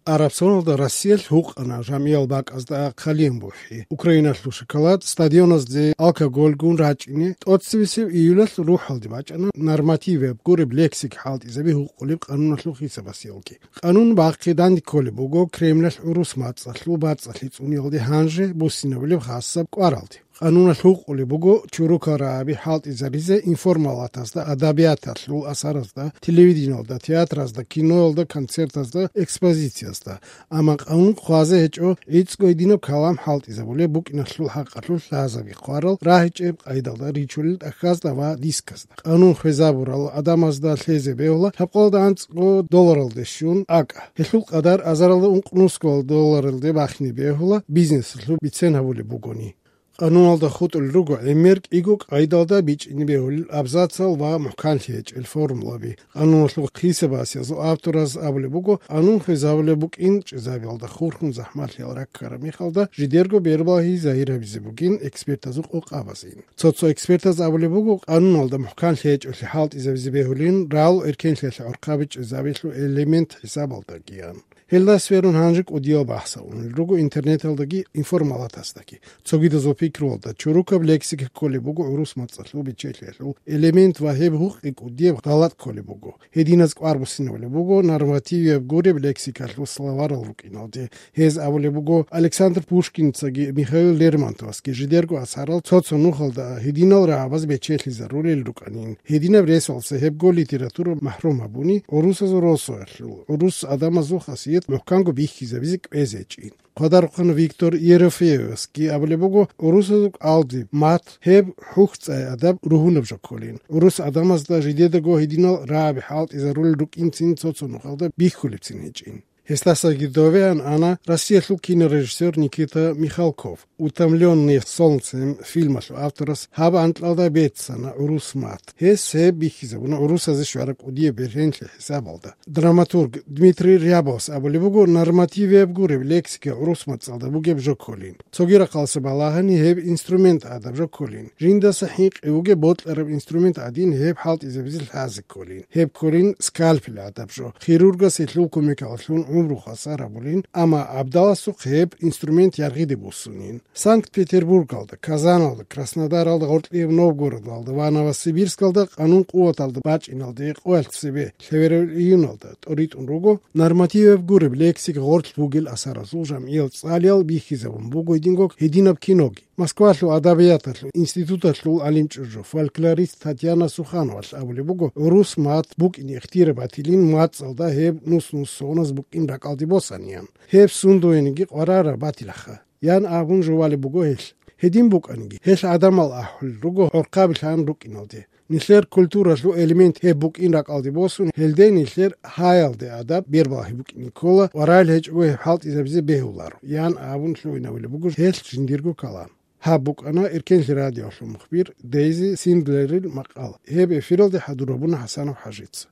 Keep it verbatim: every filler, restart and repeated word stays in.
Араб соналда Россиялъ гьукъана жамгӀиял бакӀазда хъалиян бухӀи, Украиналъул шоколад, стадионазде алкоголь гун рачӀине. ТӀоцебесеб июлалъ рухӀалде бачӀана нормативаб гуреб лексик хӀалтӀизаби гьукъулеб къануналъул хисабасеялги. Къанун бахъи данде кколеб буго Кремлалъ гӀурус мацӀалъул бацӀцӀалъи цӀуниялде гьанже буссинабулеб хасаб кӀваралде. Къануналъ гьукъулеб буго чорокал рагӀаби хӀалтӀизаризе информалатазда, адабияталъул асаразда, телевидениялда, театразда, киноялда, концертазда, экспозициязда. Амма къанун хъвазе гьечӀо гӀицӀго гьединаб калам хӀалтӀизабулеб букӀиналъул хӀакъалъулъ лъазаби хъварал рагьичӀеб къайдалда ричулел тӀахьазда ва дисказда. Къанун хвезабурал гӀадамазда лъезе бегьула лъабкъоялда анцӀго долларалде щун акӀа. Гьелъул къадар азаралда ункънусго долларалде бахине бегьула бизнесалъул бицен гьабулеб бугони. Къануналда хутӀулел руго гӀемер кӀиго къайдалда бичӀчӀине бегьулел абзацал ва мухӀканлъи гьечӀел формулаби. Къануналъул хисабасиязул автораз абулеб буго, къанун хвезабулеб букӀин чӀезабиялда хурхун захӀмалъиял раккараб мехалда жидерго бербалагьи загьир гьабизе бугин экспертазул къокъабазин. Цо-цо экспертаз абулеб буго, къануналда мухӀканлъи гьечӀолъи хӀалтӀизабизе бегьулин рал эркенлъиялъе гӀорхъаби чӀезабиялъул элемент хӀисабалдагиян. Гьелда сверун гьанже кӀудиял бахӀсал унел руго интернеталдаги информалатасдаги. Цогидазул пикруялда чорокаб лексика кколеб буго гӀурус мацӀалъул бечелъиялъул элемент ва гьеб гьукъи кӀудияб гъалатӀ кколеб буго. Гьединаз кӀвар буссинабулеб буго нормативияб гуреб лексикалъул словарал рукӀиналде. Гьез абулеб буго, Александр Пушкинцаги Михаил Лермонтовасги жидерго асарал цо-цо нухалда гьединал рагӀабаз бечелъизарулел рукӀанин. Гьединаб ресалъ цебего литература махӀрум гьабуни, гӀурусазул росулъ гӀурус гӀадамазул хасият мухӀканго бихьизабизе кӀвезечӀин. Хъвадарухъан Виктор Ерофеевасги абулеб буго, гӀурусазул кӀалдиб мат гьеб хӀухьцӀай адаб ругьунаб жо кколин. ГӀурус гӀадамазда жидедаго гьединал рагӀаби хӀалтӀизарулел рукӀинцин цо-цо нухалда бихьулебцин гьечӀин. Гьесдасаги довеян ана Россиялъул кинорежиссер Никита Михалков. «Утомлённые солнцем» фильмалъул авторас гьаб анкьалда беццана гӀурус мат. Гьес гьеб бихьизабуна гӀурусазе щвараб кӀудияб бергьенлъи хӀисабалда. Драматург Дмитрий Рябовас абулеб буго, нормативияб гуреб лексика гӀурус мацӀалда бугеб жо кколин. Цоги рахъалъа балагьани гьеб инструмент гӀадаб жо кколин. Жиндаса хӀинкъи вугеб бокьараб инструмент гӀадин гьеб хӀалтӀизабизе лъазе кколин. Гьеб кколин скальпель гӀадаб жо. Хирургас гьелъул кумекалъун гӀумру хвасар гьабулин, амма абдаласухъ гьеб инструмент яргъиде буссунин. Санкт-Петербургалда, Казаналда, Краснодаралда, гъоркьияб Новгородалда ва Новосибирскалда къанун къуваталда бачӀиналде къоялъ цебе лъеверал июналда тӀоритӀун руго нормативаб гуреб лексик гъорлъ бугел асаразул жамгӀиял цӀалиял бихьизабун буго гьединго гьединаб киноги. Москвалъул адабияталъул институталъул гӀалимчӀужу, фольклорист Татьяна Сухановалъ абулеб буго, гӀурус мат букӀине ихтияр батилин мацӀалда гьеб нус-нусоназ букӀин ракӀалде босаниян. Гьеб сундуениги къварараб батилаха, ян абун жувалеб буго гьелъ. Гьедин букӀаниги, гьелъ гӀадамал ахӀулел руго гӀорхъаби лъан рукӀиналде. Нилъер культуралъул элемент гьеб букӀин ракӀалде босун, гьелде нилъер гьаялде адаб бербалагьи букӀине ккола ва рагӀил гьечӀого гьеб хӀалтӀизабизе бегьуларо, ян абун лъугӀинабулеб буго гьелъ жиндирго калам. Гьаб букӀана Эркенлъи радиолъул мухбир Дейзи Синдлерил макъала. Гьеб эфиралде хӀадур гьабуна ХӀасанов ХӀажица.